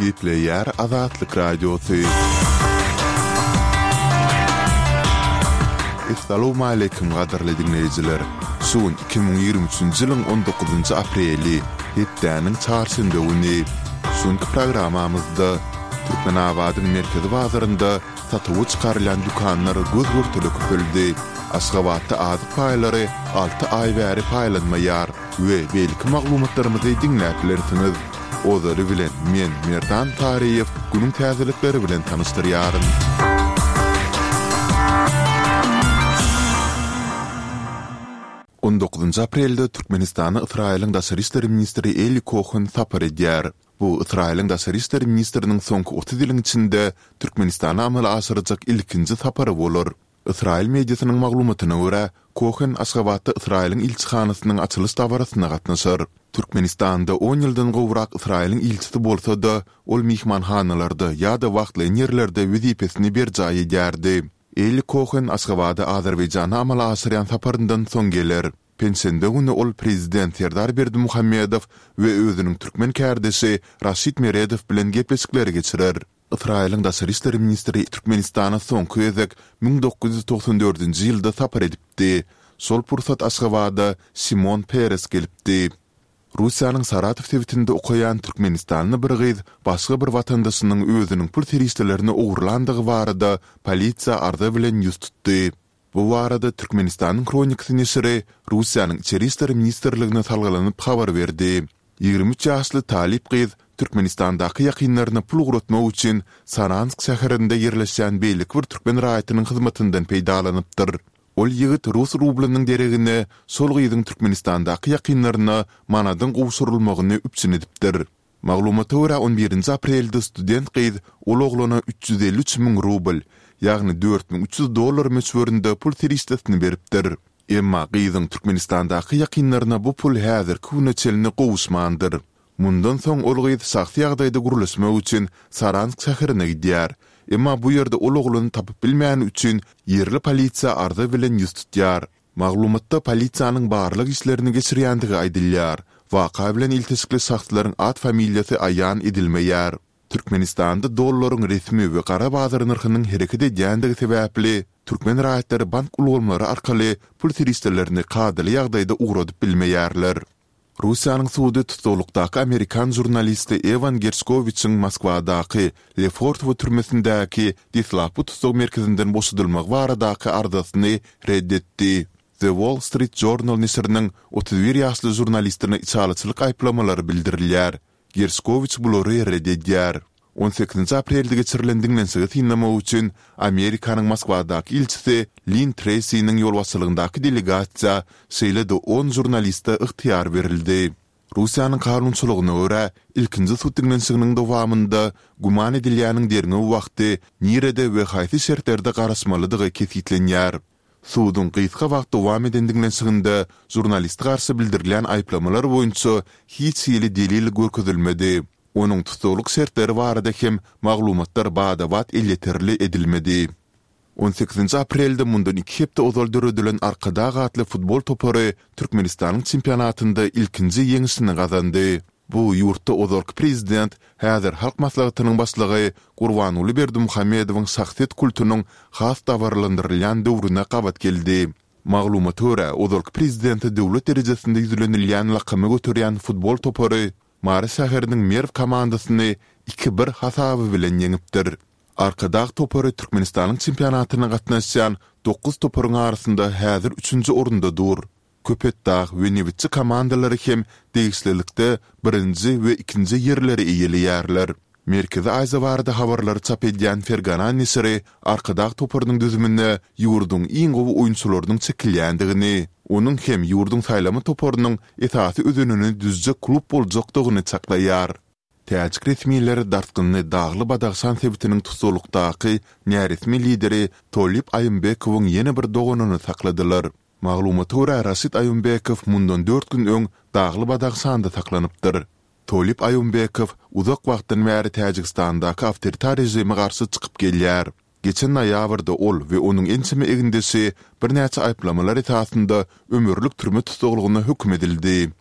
Gepleýär Azatlyk Radiosy. Essalawmaleýkim gadyrly diňleýjiler! Şu gün 2023-nji ýylyň on dokuzynjy apreli, hepdäniň çarşenbe güni. Şu günki programmamyzda Türkmenabadyň merkezi bazarynda satuwa çykarylýan dükanlar göz-görtele köpeldi. Aşgabatda azyk paýlary alty aý bäri paýlanmaýar we beýleki maglumatlarymyzy diňläp bilersiňiz. Ozaly bilen men, Merdan Taryýew, günüň täzelikleri bilen tanyşdyrýaryn. On dokuzynjy aprelde Türkmenistana Ysraýylyň daşary işler ministri Eli Kohen sapar edýär. Bu Ysraýylyň daşary işler ministriniň soňky 30 ýylyň içinde Türkmenistana amala aşyrjak ilkinji sapary bolar. Ysraýyl mediasynyň maglumatyna görä, Kohen Aşgabatda Ysraýylyň ilçihanasynyň açylyş dabarasyna gatnaşar. Türkmenistanda on ýyldan gowrak Ysraýylyň ilçisi bolsa-da, ol myhmanhanalarda ýa-da wagtlaýyn ýerlerde wezipesini berjaý edýärdi. Eli Kohen Aşgabada Azerbaýjana amala aşyrýan saparyndan soň geler. Penşenbe güni ol prezident Serdar Berdimuhamedow we özüniň türkmen kärdeşi Raşid Meredow bilen gepleşikleri geçirer. Ysraýylyň daşary işler ministri Türkmenistana soňky gezek 1994-nji ýylda sapar edipdi. Şol pursat Aşgabada Şimon Peres gelipdi. Russiýanyň Saratow sebitinde okaýan türkmenistanly bir gyz başga bir watandaşynyň özüniň pul serişdelerini ogurlandygy barada polisiýa arza bilen ýüz tutdy. Bu barada Türkmenistanyň Hronikasy neşiri Russiýanyň Içeri işler ministrligine salgylanyp habar berdi. 23 ýaşly talyp gyz Türkmenistandaky ýakynlaryna pul ugratmak üçin Saransk şäherinde ýerleşýän beýleki bir türkmen raýatynyň hyzmatyndan peýdalanypdyr. Ol ýigit rus rublynyň deregine şol gyzyň Türkmenistandaky ýakynlaryna manadyň gowşurylmagyny üpjün edipdir. Maglumata görä, on birinji aprelde student gyz ol oglana 353 müň rubl, ýagny 4300 dollar möçberinde pul serişdesini beripdir. Emma gyzyň Türkmenistandaky ýakynlaryna bu pul häzirki güne çenli gowuşmandyr. Mundan soň ol gyz şahsy ýagdaýda gürleşmek üçin Saransk şäherine gidýär. Emma bu ýerde ol oglany tapyp bilmäni üçin ýerli polisiýa arza bilen ýüz tutýar. Maglumatda polisiýanyň barlag işlerini geçirýändigi aýdylýar. Waka bilen ilteşikli şahslaryň at-familiýasy aýan edilmeýär. Türkmenistanda dollaryň resmi we gara bazar nyrhynyň hereket edýändigi sebäpli, türkmen raýatlary bank ulgamlary arkaly pul serişdelerini kadaly ýagdaýda ugradyp bilmeýärler. Russiýanyň sudy tussaglykdaky amerikan žurnalisti Ewan Gerşkowiçiň Moskwadaky Lefortowo türmesindäki deslapky tussag merkezinden boşadylmagy baradaky arzasyny ret etdi. The Wall Street Journal neşiriniň 31 ýaşly žurnalistine içalyçylyk aýyplamalary bildirilýär. Gerşkowiç bulary ret edýär. On sekizinji aprelde geçirilen diňlenişigi synlamak üçin Amerikanyň Moskwadaky ilçisi Linn Treýsiniň ýolbaşçylygyndaky delegasiýa, şeýle-de on žurnaliste ygtyýar berildi. Russiýanyň kanunçylygyna görä, ilkinji sud diňlenişiginiň dowamynda güman edilýäniň derňew wagty nirede we haýsy şertlerde garaşmalydygy kesgitlenýär. Suduň gysga wagt dowam eden diňlenişiginde žurnaliste garşy bildirilýän aýyplamalar boýunça hiç hili delil görkezilmedi. Onuň tussaglyk şertleri barada hem maglumatlar bada-bat elýeterli edilmedi. On sekizinji aprelde mundan iki hepde ozal döredilen Arkadag atly futbol topary Türkmenistanyň çempionatynda ilkinji ýeňşini gazandy. Bu ýurtda ozalky prezident, häzir Halk Maslahatynyň başlygy Gurbanguly Berdimuhamedowyň şahsyýet kultunyň has dabaralandyrylýan döwrüne gabat geldi. Maglumata görä, ozalky prezidente döwlet derejesinde ýüzlenilýän lakamy göterýän futbol topary Mary şäheriniň Merw komandasyny iki-bir hasaby bilen ýeňipdir. Arkadag topary Türkmenistanyň çempionatyna gatnaşýan dokuz toparyň arasynda häzir üçünji orunda dur. Köpetdag we Nebitçi komandalary hem degişlilikde birinji we ikinji ýerleri eýeleýärler. Merkezi Aziýa barada habarlary çap edýän Fergana neşiri Arkadag toparynyň düzümine ýurduň iň gowy oýunçylarynyň çekilýändigini, onuň hem ýurduň saýlama toparynyň esasy özenini düzjek klub boljakdygyny çaklaýar. Täjik resmileri dartgynly Dagly-Badahşan sebitiniň tussaglykdaky näresmi lideri Tolib Aýymbekowyň ýene bir doganyny sakladylar. Maglumata görä, Raşid Aýymbekow mundan dört gün öň Dagly-Badahşanda saklanypdyr. Tolib Aýymbekow uzak wagtdan bäri Täjigistandaky awtoritar režime garşy çykyp gelýär. Geçen noýabrda ol we onuň ençeme egindeşi birnäçe aýyplamalar esasynda ömürlik türme tussaglygyna höküm edildi.